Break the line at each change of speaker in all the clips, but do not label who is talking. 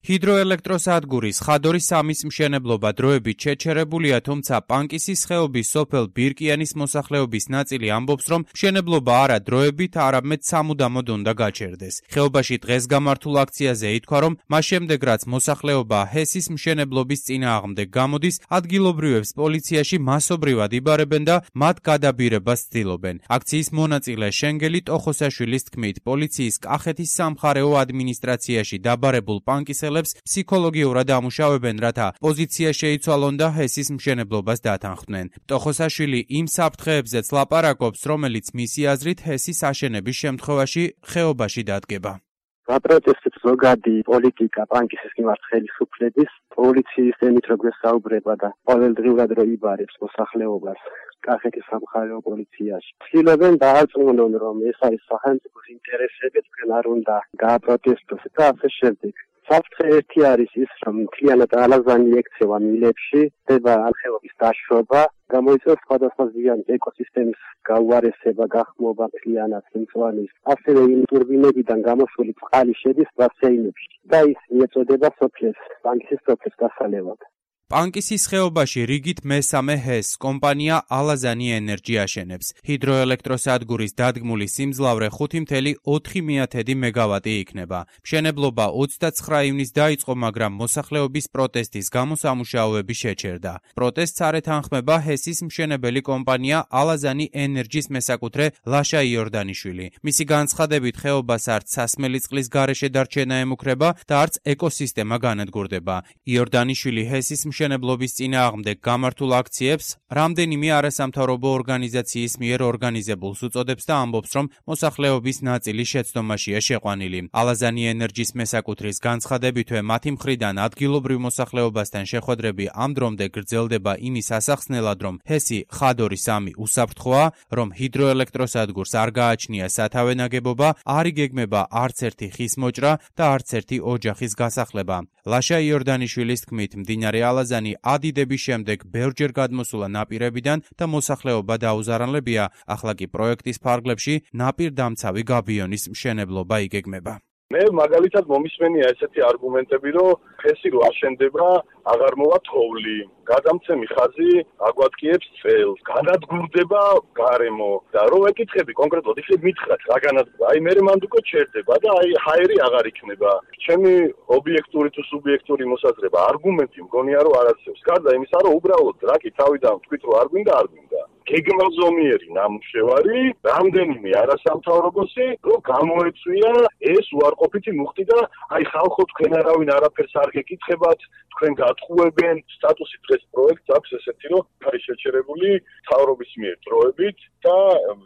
ჰიდროელექტროსადგურის ხადორის 3-ის მშენებლობა დროებით შეჩერებულია, თუმცა პანკისის ხეობის სოფელ ბირკიანის მოსახლეობის ნაწილი ამბობს, რომ მშენებლობა არა დროებით, არამედ სამუდამოდ უნდა გაჩერდეს. ხეობაში დღეს გამართულ აქციაზე ითქვა, რომ მას შემდეგ, რაც მოსახლეობა ჰესის მშენებლობის წინააღმდეგ გამოდის, ადგილობრივებს პოლიციაში მასობრივად იბარებენ და მათ გადაბირებას ცდილობენ. აქციის მონაწილე შენგელი ტოხოსაშვილის თქმით, პოლიციის კახეთის სამხარეო ადმინისტრაციაში დაბარებულ პანკისელებს ფსიქოლოგიურად ამუშავებენ, რათა პოზიცია შეიცვალონ და ჰესის მშენებლობას დათანხმდნენ. ტოხოსაშვილი იმ საფრთხეებზეც ლაპარაკობს, რომელიც მისი აზრით ჰესის აშენების შემთხვევაში ხეობაში დადგება.
გაპროტესტებს ზოგადი პოლიტიკა პანკისის მიმართ ხელისუფლების, პოლიციის ემით რო გვესაუბრება და ყოველდღიურად რო იბარებს მოსახლეობას კახეთის სამხარეო პოლიციაში. ცდილობენ დაარწმუნონ, რომ ეს არის სახელმწიფოს ინტერესები, თქვენ არ უნდა გააპროტესტოს და ასე შემდეგ. საფრთხე ერთი არის ის, რომ მთლიანად ალაზანი ექცევა მილებში, ხდება ხეობის დაშრობა, გამოიწვევს სხვადასხვა ზიანს ეკოსისტემის გაუარესება, გახმობა მთლიანად სიმწვანის, ასევე იმ ტურბინებიდან გამოშვილი წყალი შედის ბასეინებში და ის მიეწოდება სოფლებს, პანკისის სოფლებს დასალევად.
პანკისის ხეობაში რიგით მესამე ჰეს კომპანია ალაზანი ენერჯი აშენებს. ჰიდროელექტროსადგურის დადგმული სიმძლავრე 5.4 მეგავატი იქნება. მშენებლობა 29 ივნისს დაიწყო, მაგრამ მოსახლეობის პროტესტის გამო სამუშაოები შეჩერდა. პროტესტს არ ეთანხმება ჰესის მშენებელი კომპანია ალაზანი ენერჯის მესაკუთრე ლაშა იორდანიშვილი. მისი განცხადებით, ხეობას არც სასმელი წყლის გარეშე დარჩენა ემუქრება და არც ეკოსისტემა განადგურდება. იორდანიშვილი ჰესის მშენებლობის წინააღმდეგ გამართულ აქციებს რამდენიმე არასამთავრობო ორგანიზაციის მიერ ორგანიზებულს უწოდებს და ამბობს, რომ მოსახლეობის ნაწილი შეცდომაშია შეყვანილი. ალაზანი ენერჯის მესაკუთრის განცხადებითვე მათი მხრიდან ადგილობრივ მოსახლეობასთან შეხვედრები ამ დრომდე გრძელდება იმის ასახსნელად, რომ ჰესი ხადორი 3 უსაფრთხოა, რომ ჰიდროელექტროსადგურს არ გააჩნია სათავე ნაგებობა, არ იგეგმება არც ერთი ხის მოჭრა და არც ერთი ოჯახის გასახლება. ლაშა იორდანიშვილის თქმით, მდინარე ალაზანი ადიდების შემდეგ ბევრჯერ გადმოსულა ნაპირებიდან და მოსახლეობა დაუზარალებია, ახლა კი პროექტის ფარგლებში ნაპირდამცავი გაბიონის მშენებლობა იგეგმება.
მე მაგალითად მომისმენია ესეთი არგუმენტები, რომ ჰესი რო აშენდება, აღარ მოვა თოვლი, გადამცემი ხაზი აგვატკიებს წელს, განადგურდება გარემო და რო ეკითხები კონკრეტულად, ისე მითხრათ რა განადგურდა, აი მე მანდ უკვე ჩერდება და აი ჰაერი აღარ იქნება. ჩემი ობიექტური თუ სუბიექტური მოსაზრება, არგუმენტი მგონია რომ არ არსებობს. გარდა იმისა, რომ უბრალოდ რაკი თავიდან თქვით რომ არ გვინდა, არ გვინდა. გეგმაზომიერი ნამუშევარი, რამდენიმე არასამთავრობოსი, რომ გამოეწვია ეს უარყოფითი მუხტი და აი ხალხო თქვენ არავინ არაფერს არ გეკითხებათ, თქვენ გატყუებენ, სტატუსი დღეს პროექტს აქვს ესეთი, რომ არის შეჩერებული მთავრობის მიერ დროებით და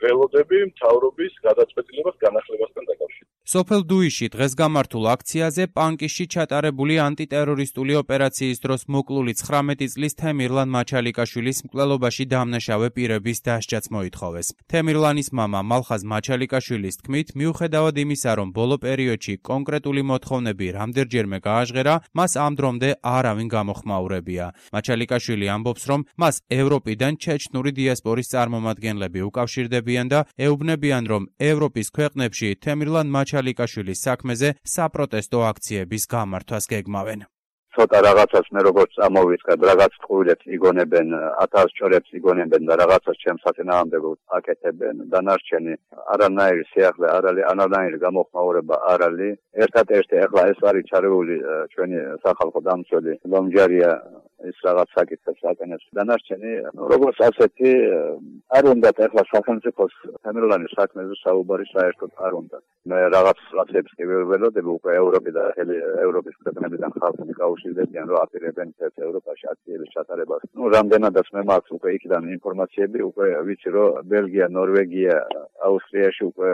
ველოდები მთავრობის გადაწყვეტილებას განახლებასთან დაკავშირებით.
სოფელ დუიში დღეს გამართულ აქციაზე პანკისში ჩატარებული ანტიტერორისტული ოპერაციის დროს მოკლული 19 წლის თემირლან მაჩალიკაშვილის მკვლელობაში დამნაშავე პირების დასჯაც მოითხოვეს. თემირლანის მამა მალხაზ მაჩალიკაშვილის თქმით, მიუხედავად იმისა, რომ ბოლო პერიოდში კონკრეტული მოთხოვნები რამდენჯერმე გააჟღერა, მას ამ დრომდე არავინ გამოხმაურებია. მაჩალიკაშვილი ამბობს, რომ მას ევროპიდან ჩეჩნური დიასპორის წარმომადგენლები უკავშირდებიან და ეუბნებიან, რომ ევროპის ქვეყნებში თემირლან მაჩალიკაშვილის საქმეზე საპროტესტო აქციების გამართვას გეგმავენ.
ცოტა რაღაცას მე როგორც წამოვიწყებ, რაღაც ტყუილებს იგონებენ, 1000 ჭორებს იგონებენ და რაღაცას ჩემს საწინააღმდეგოდ აკეთებენ. დანარჩენი არანაირი სიახლე არ არის, არანაირი გამოხმაურება არ არის. ერთადერთი ახლა ეს არის ჩარეული ჩვენი სახალხო დამცველი ლომჯარია ის რაღაც საკითხებს აკეთებს. დანარჩენი როგორც ასეთი არ უნდა ახლა სახელმწიფოს თემირლანის საქმეზე საუბარი საერთოდ არ უნდა. მე რაღაცებს კი ველოდები უკვე ევროპი და ევროპის ქვეყნებიდან ხალხი გაუშვებიან რომ აპირებენ ევროპაში აქციების ჩატარებას. რამდენადაც მე მაქვს უკვე იქიდან ინფორმაციები, უკვე ვიცი რომ ბელგია, ნორვეგია, აუსტრიაში უკვე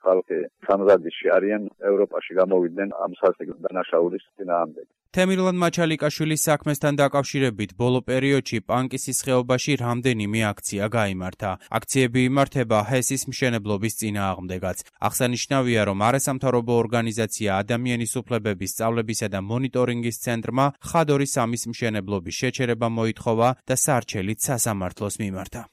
ხალხი სამზადისში არიან ევროპაში გამოვიდნენ ამ სასტიკ დანაშაულის წინააღმდეგ.
თემირლან მაჩალიკაშვილის საქმესთან დაკავშირებით ბოლო პერიოდში პანკისის ხეობაში რამდენიმე აქცია გაიმართა. აქციები იმართება ჰესის მშენებლობის წინააღმდეგაც. აღსანიშნავია, რომ არასამთავრობო ორგანიზაცია ადამიანის უფლებების სწავლებისა და მონიტორინგის ცენტრმა ხადორის 3-ის მშენებლობის შეჩერება მოითხოვა და სარჩელით სასამართლოს მიმართა.